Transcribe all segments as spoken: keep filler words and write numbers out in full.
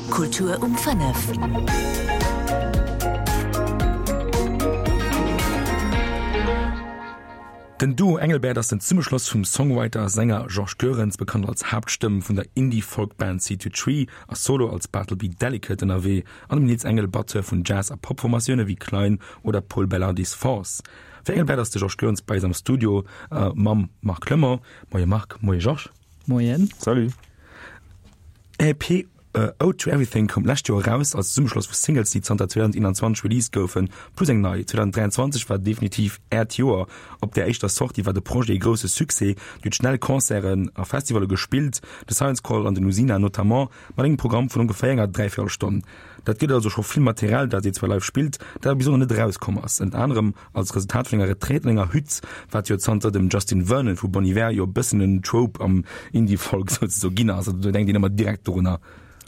Kultur um fënnef. Den Duo Engelbert ass den Zesummeschloss vum Songwriter a Sänger Georges Goerens, bekannt als Haaptstëmm vun der Indie-Folk-Band Seed to Tree a solo als Bartleby Delicate ënnerwee, an dem Nils Engel, Batteur vun Jazz a Pop-Formatioune wéi Klein oder Pol Belardi's Force. Fir Engelbert ass de Georges Goerens bei eis am Studio mam Marc Clement. Moie Marc, moie Georges. Moien. Salut. Är EP Ode to Everything koum d'lescht Joer eraus, als Zesummeschloss vu Singles, déi zanter zweedausendeenanzwanzeg released goufen, plus eng nei. zweedausendräianzwanzeg war definitiv Äert Joer. Op där éischter Sortie war de Projet ee grousse Succès. Dir hutt schnell Concerten a Festivalle gespillt, de Science Call an den Usina notamment, mat engem Programm vun ongeféier enger Dräiviertelstonn. Dat gëtt also scho vill Material, dat dir zwar live spillt, dat awer bis elo nach net erauskomm ass. Ënnert anerem als Resultat vun enger Retraite an enger Hütt, wat jo zanter dem Justin Vernon vu Bon Iver jo e bëssen en Trope am Indie-Folk souzesoe ginn ass. Also do denkt een ëmmer direkt dorunner.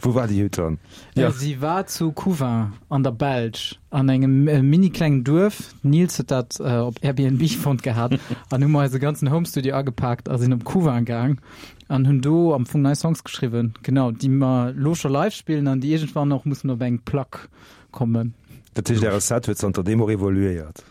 Wou war déi Hütt dann? Ja. Si war zu Couvin an der Belsch an engem mini klengen Duerf. Nils huet dat op Airbnb fonnt gehat an hu mer eise ganzen Homestudio agepaakt a sinn op Couvin gaang an hunn do am Fong nei Songs geschriwwen, genau, déi mer lo scho live spillen an déi iergendwann och mussen op eng Plack kommen. Dat heescht, Äre Set huet zanter deem och evoluéiert?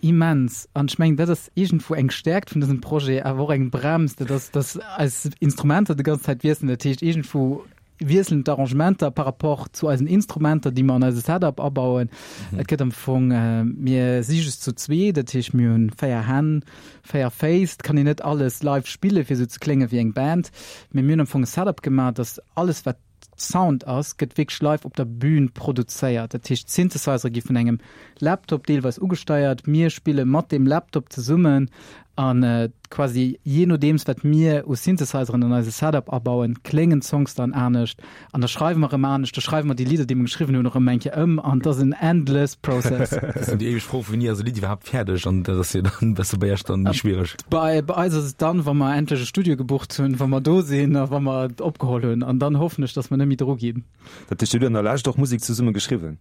Immens. An ech mengen, dat ass iergendwou eng Stäerkt vun dësem Projet, awer och eng Brems, dat ass, dass eis Instrumenter déi ganz Zäit wiesselen. Dat heescht, iergendwou wiesselen d'Arrangementer par rapport zu eisen Instrumenter, déi mer an eise Setup abauen. Et gëtt am Fong, mir si just zu zwee, dat heescht, mir hunn véier Hänn, véier Féiss. Et kann een net alles live spillen, fir esou ze klénge wéi eng Band. Mee mir hunn am Fong e Setup gemaach, dass alles, wat Sound ass, gëtt wierklech live op der Bühn produzéiert. Dat heescht, d'Synthesizere gi vun engem Laptop deelweis ugesteiert. Mir spille mat deem Laptop zesummen an quasi jee nodeems, wat mir u Synthesizeren an eise Setup abauen, kléngen d'Songs dann anescht. An da schreiwe mer erëm anescht, da schreiwe mer déi Lidder, déi mer geschriwwen hunn, och erëm eng Kéier ëm. An et ass en endless process. Dat ass dann déi éiweg Fro, Wéini ass e Lidd iwwerhaapt fäerdeg? An dat ass jo dann e bësse bei Iech dann méi schwiereg. Bei eis ass et dann, wa mer endlech e Studio gebucht hunn, wa mer do sinn a wa mer et opgeholl hunn. An dann hoffen ech, dass mer net méi dru ginn. Dat heescht, Dir hutt an der Lescht och Musek zesumme geschriwwen?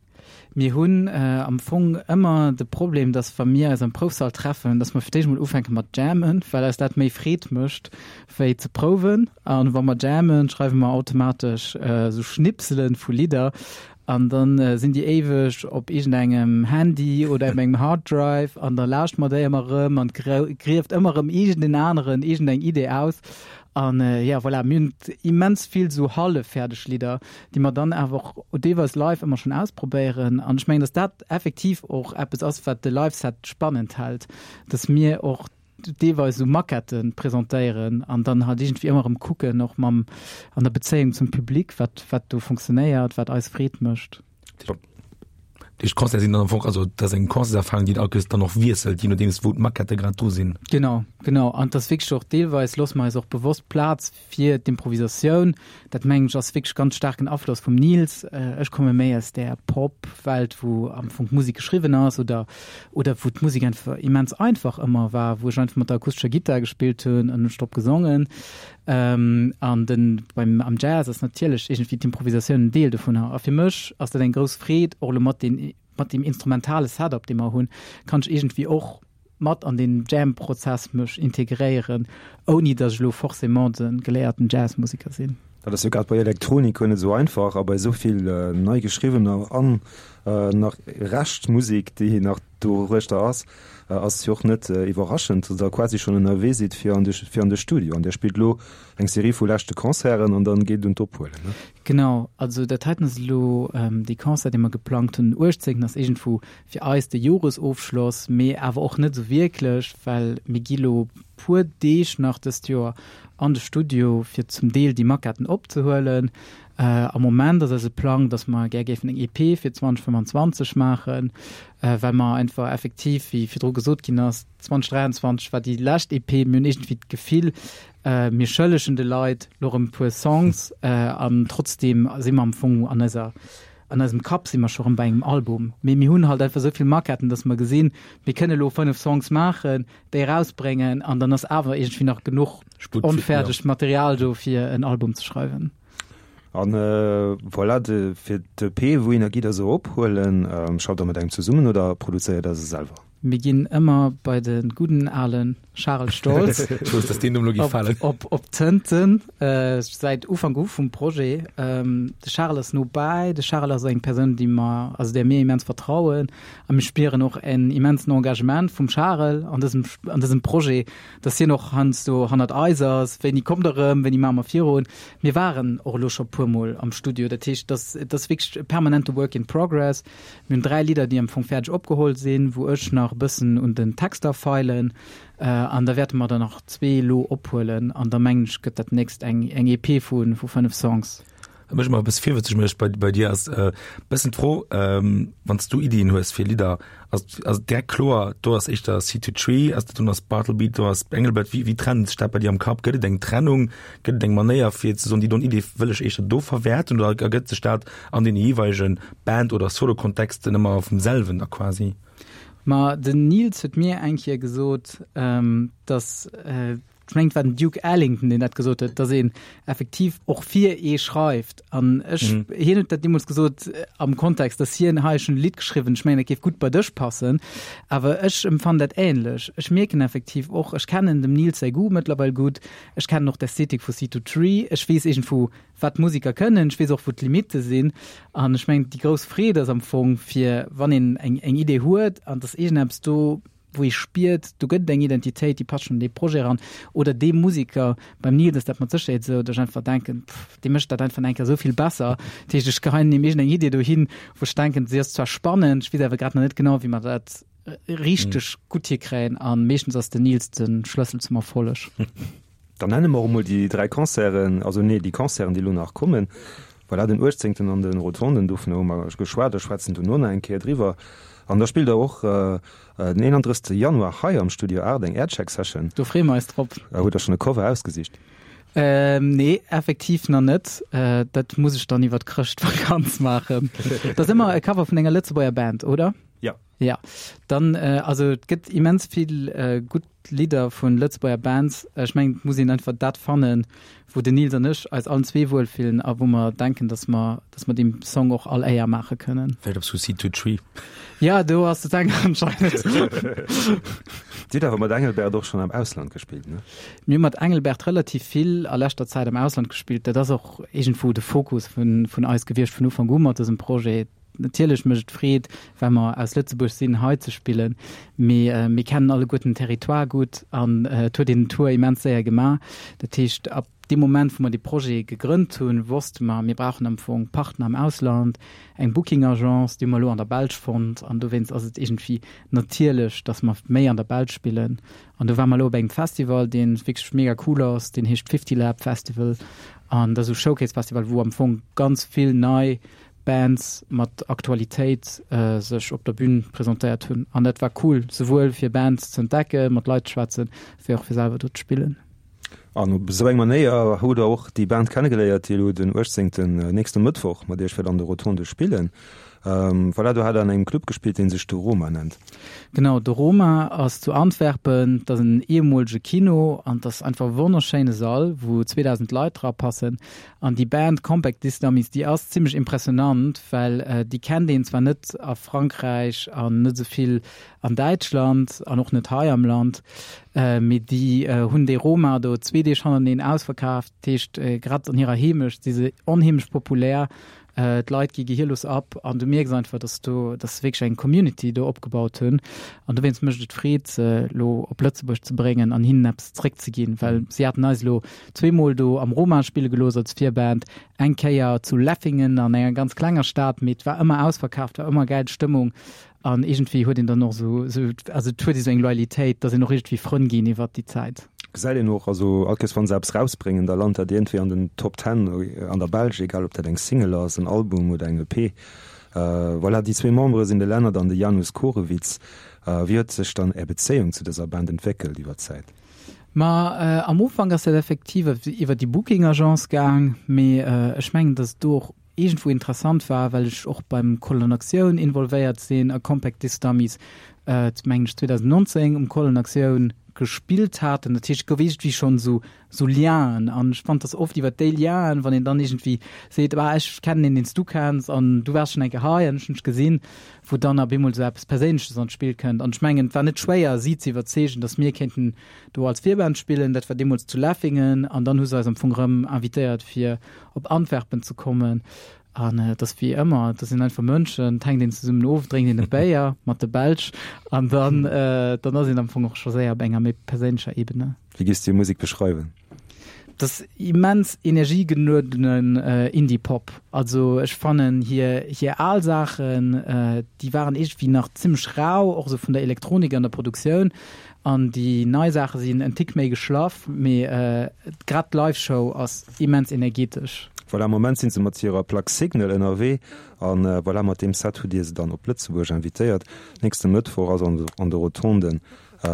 Mir hunn am Fong ëmmer de Problem, dass wa mir eis am Proufsall treffen, dass mer fir d'éischt mol ufänke mat jammen, well eis dat méi Freed mécht wéi ze prouwen. An wa mer jammen, schreiwe mer automatesch esou Schnipsele vu Lidder an dann sinn déi éiweg op iergendengem Handy oder op engem Harddrive an da lauschte mer déi ëmmer erëm an et grieft ëmmer erëm iergendeen aneren iergendeng Idee aus. An jo, voilà, mir hunn immens vill esou halleffäerdeg Lidder, déi mer dann awer och deelweis live ëmmer schonn ausprobéieren. An ech mengen, datt dat effektiv och eppes ass, wat de Live-Set spannend hält, datt mir och deelweis esou Maquettë presentéieren an dann halt iergendwéi ëmmer erëm kucken, och mam, an der Bezéiung zum Public, wat, wat do funktionéiert, wat eis Freed mécht. Déi Concerte sinn dann am Fong, also dat ass eng Concertserfarung, déi all dann och wiesselt, jee nodeems wou d'Maquettë grad dru sinn. Genau, genau. An et ass wierklech och deelweis loosse mer eis och bewosst Plaz fir d'Improvisatioun. Dat mengen ech ass wierklech ganz staarken Afloss vum Nils. Ech komme méi aus där Pop-Welt, wou am Fong d'Musek geschriwwen ass oder oder wou d'Musek einfach immens einfach ëmmer war, wou ech einfach mat der akustescher Gittar gespillt hunn an hunn drop gesongen. An den, beim, am Jazz ass natierlech iergendwéi d'Improvisatioun en Deel dovunner. A fir mech ass dat eng grouss Freed, och elo mat den, mat deem instrumentale Setup, dee mer hunn, kann ech iergendwéi och mat an deen Jam-Prozess mech integréieren, ouni datt ech elo forcément de geléierten Jazzmuseker sinn. Dat ass jo grad bei Elektronik guer net esou einfach a bei esou vill nei geschriwwener an nach Reschtmusek, déi nach doruechter ass, ass et jo och net iwwerraschend, datt Der quasi schonn ënnerwee sidd fir an de fir an de Studio. An Dir spillt elo eng Serie vu leschte Concerten an dann geet et un d'Ophuelen, ne? Genau, also dat heiten ass elo dee Concert, dee mer geplangt hunn den uechtzéngten ass iergendwou fir eis de Joresofschloss, mee awer och net esou wierklech, well mir gi lo puer Deeg nach dëst Joer an de Studio, fir zum Deel déi Maquetten opzehuelen. Am Moment ass eise Plang, dass mer gär géifen eng E P fir zweedausendfënfanzwanzeg maachen, well mer einfach effektiv, wéi virdru gesot ginn ass, zweedausendräianzwanzeg war déi lescht E P, mir hunn iergendwéi d'Gefill, mir schëllegen de Leit lo erëm e puer Songs an trotzdeem si mer am Fong an eiser, an eisem Kapp si mer scho rëm bei engem Album. Mee mir hunn halt einfach esou vill Maquetten, dass mer gesinn, mir kënne lo fënnef Songs maachen, déi erausbréngen an dann ass awer iergendwéi nach genuch onfäerdegt Material do, fir en Album ze schreiwen. An voilà, de, fir d'E P, wouhinner gitt Der se ophuelen? Schafft Der mat engem zesummen oder produzéiert Der se selwer? Mir ginn ëmmer bei de gudden ale Charel Stoltz. Ech wousst, dass deen Numm lo géif falen. Op, op, op Tënten, äh, säit Ufank u vum Projet. Ähm, de Charel ass no bäi. De Charel ass eng Persoun, déi mer, also där mir immens vertrauen. A mir spieren och en immensen Engagement vum Charel an dësem, an dësem Projet, dass hien och heiansdo hannert eis ass, Wéini kommt der erëm, wéini maache mer virun? Mir waren och elo scho puermol am Studio, dat heescht, dass, et ass wierklech e permanente Work in progress. Mir hunn dräi Lidder, déi am Fong fäerdeg opgeholl sinn, wou ech nach e bëssen un den Texter feilen. An da wäerte mer der nach zwee elo ophuelen an da mengen ech gëtt dat nächst eng eng E P vu vu fënnef Songs. Wat mech ëmmer e bësse virwëtzeg mécht bei bei dir ass e bëssen d'Fro, wann s du Iddien hues fir Lidder, ass ass et direkt kloer, do ass éischter Seed to Tree, ass dat do ass Bartleby, do ass Engelbert, wéi wéi trennt sech dat bei dir am Kapp? Gëtt et eng Trennung, gëtt et eng Manéier fir ze soen, déi don Idee wëll ech éischter do verwäerten oder ergëtt sech dat an deene jeeweilege Band oder Solo-Kontexten ëmmer vum selwen da quasi? Ma den Nils huet mir eng Kéier gesot, dass, ech mengen et war den Duke Ellington, deen dat gesot huet, dass een effektiv och fir ee schreift. An ech, hien huet dat deemools gesot am Kontext, dass hien, hei ech hunn e Lidd geschriwwen, ech mengen dat géif gutt bei dech passen. Awer ech empfannen dat änlech. Ech mierken effektiv och, ech kennen dem Nils säi Goût mëttlerweil gutt, ech kennen och d'Ästhetik vu Seed to Tree, ech weess iergendwou, wat d'Musiker kënnen, ech weess och wou d'Limitte sinn an ech mengen déi grouss Freed ass am Fong fir wann een eng eng Idee huet an et ass iergendeppes do wou ee spiert do gëtt et eng Identitéit déi passt schonn an dee Projet eran oder dee Musiker, beim Nils ass dat mat Sécherheet esou, datt ech einfach denken, pff dee mécht dat einfach nach eng Kéier esou vill besser, dat heescht ech geheien him iergendeng Idee dohin wou ech denken si ass zwar spannend, ech weess awer grad nach net genau wéi mer dat richteg gutt hikréien an meeschtens ass den Nils de Schlëssel zum Erfolleg. Dann nenne mer och emol déi dräi Concerten, also nee, déi Concerten, déi elo nach kommen. Voilà, den uechtzéngten an de Rotonden, dovunner hu mer geschwat a schwätzen dono nach eng Kéier driwwer. An da spillt Der och den eenandrëssegste Januar hei am Studio Aacht eng Aircheck-Session. Do freeë mer eis drop. Hutt Der schonn e Cover ausgesicht? Nee, effektiv nach net. Dat muss ech dann iwwer d'Chrëschtvakanz maachen. Dat ass ëmmer e Cover vun enger Lëtzebuerger Band, oder? Ja. Ja, dann, also et gëtt immens vill gutt Lidder vun Lëtzebuerger Bands. Ech mengen, et muss een einfach dat fannen, wou den Nils an ech eis allen zwee wuel fillen a wou mer denken, dass mer, dass mer deem Song och all Éier maache kënnen. Vläicht op Suicide to Tree. Ja, do ass de Sänger anscheinend. Dir hutt awer mat Engelbert och schonn am Ausland gespillt, ne? Mir hu mat Engelbert relativ vill a leschter Zäit am Ausland gespillt. Dat ass och iergendwou de Fokus vun, vun eis gewiescht vun Ufank u mat dësem Projet. Natierlech mécht et Freed, well mer aus Lëtzebuerg sinn, hei ze spillen, mee mir kennen alleguerten den Territoire gutt an et huet een den Tour immens séier gemaach. Dat heescht, ab deem Moment, wou mer dee Projet gegrënnt hunn, wosste mer, mir brauchen am Fong Partner am Ausland, eng Booking Agence, déi hu mer elo an der Belsch fonnt an dowéinst ass et iergendwéi natierlech, datt mer méi an der Belsch spillen. An do ware mer elo op engem Festival, dee wierklech mega cool ass, deen heescht Fifty Lab Festival an dat ass esou e Showcase Festival, wou am Fong ganz vill nei Bands mat Aktualitéit sech op der Bühn presentéiert hunn an dat war cool, souwuel fir Bands ze entdecken, mat Leit ze schwätzen, wéi och fir selwer do ze spillen. An op esou eng Manéier hutt der och déi Band kennegeléiert, déi elo den uechtzéngten, nächste Mëttwoch, mat iech wäert an de Rotonde spillen. Voilà, do hat der an engem Club gespillt, dee sech De Roma nennt. Genau, De Roma ass zu Antwerpen, dat ass en ehemolege Kino an dat ass einfach e wonnerschéine Sall, wou zweedausend Leit dra passen. An déi Band Compact Disc Dummies, déi ass zimmlech impressionant, well déi kennt een zwar net a Frankräich an net esou vill an Däitschland an och net hei am Land, mee déi hunn dee Roma do zwee Deeg hannerteneen ausverkaaft. Dat heescht, grad an hirer Heemecht si se onheemlech populär. D'Leit gi gehierlos ab an du mierks einfach, dass do, dass se wierklech eng Community do opgebaut hunn. An dowéinst mécht et Freed, se elo op Lëtzebuerg ze bréngen an hinnen eppes zréckzeginn, well si haten eis elo zweemol do am Roma spille gelooss als Virband, eng Kéier zu Leffingen an enger ganz klenger Stad, mee et war ëmmer ausverkaaft, war ëmmer gäil Stëmmung. An iergendwéi huet een dann och esou, esou, also et huet ee sou eng Loyalitéit, dass een och iergendwéi Frënn ginn iwwert déi Zäit. Gesäit een och, also all Kéiers wann se eppes rausbréngen, da lant dat iergendwéi an den Top Ten an der Belsch, egal ob dat eng Single ass, en Album oder eng E P. Voilà, déi zwee Membere sinn de Lennart an de Janusz Korewitz. Wéi huet sech dann Är Bezéiung zu dëser Band entwéckelt iwwer d'Zäit? Ma am Ufank ass dat effektiv iwwer déi Booking Agence gaang, mee ech mengen, dass et do och iergendwou interessant war, well ech och beim Call on Aktioun involvéiert sinn a Compact Disc Dummies, mengen ech zweedausendnonzéng um Call on Aktioun gespillt haten. Dat heescht, et gouf iergendwéi schonn esou esou Lienen an ech fand dass oft iwwer déi Lienen, wann een dann iergendwéi seet, ah ech kennen een, deen s du kenns an du waars schonn eng Kéier hei an ech hunn dech gesinn, wou dann op eemol esou eppes Perséinleches an d'Spill kënnt. An ech mengen, et war net schwéier, si ze iwwerzeegen, dass mir kéinten do als Virband spillen. Dat war deemools zu Leffingen an dann hu se eis am Fong erëm invitéiert, fir op Antwerpen ze kommen. An et ass wéi ëmmer, et sinn einfach Mënschen, et hänkt een zesummen of, drénkt een e Béier mat de Belsch an dann, dann ass een am Fong och scho séier op enger méi perséinlecher Ebene. Wéi giffs du hir Musek beschreiwen? Et ass immens energiegeluedenen Indie-Pop. Also ech fannen hir, hir al Saachen, déi waren iergendwéi nach zimmlech rau, och esou vun der Elektronik an der Produktioun. An déi nei Saache sinn en Tick méi geschlaff, mee grad d'Live-Show ass immens energetesch. Voilà, am Moment sinn se mat hirer Plack Signal ënnerwee an voilà, mat deem Set hutt Dir se dann op Lëtzebuerg invitéiert. Nächste Mëttwoch ass an de Rotonden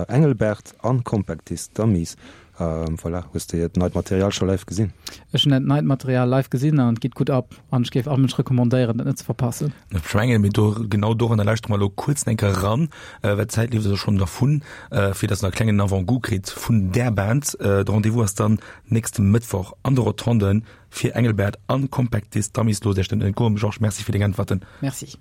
Engelbert an Compact Disc Dummies. Voilà, hues de hiert neit Material scho live gesinn? Ech hunn dat neit Material live gesinn an et geet gutt ab an ech géif all Mënsch recommandéieren, dat net ze verpassen. Ech mengen, mee do, genau doranner lauschtere mer elo kuerz eng Kéier eran, well d'Zäit leeft eis och schonn dervun, fir dass der e klengen Avant-goût kritt vun där Band. De Rendez-vous ass dann nächste Mëttwoch an de Rotonden fir Engelbert an Compact Disc Dummies. Loosst Iech dat net entgoen. Georges, Merci fir deng Äntwerten. Merci.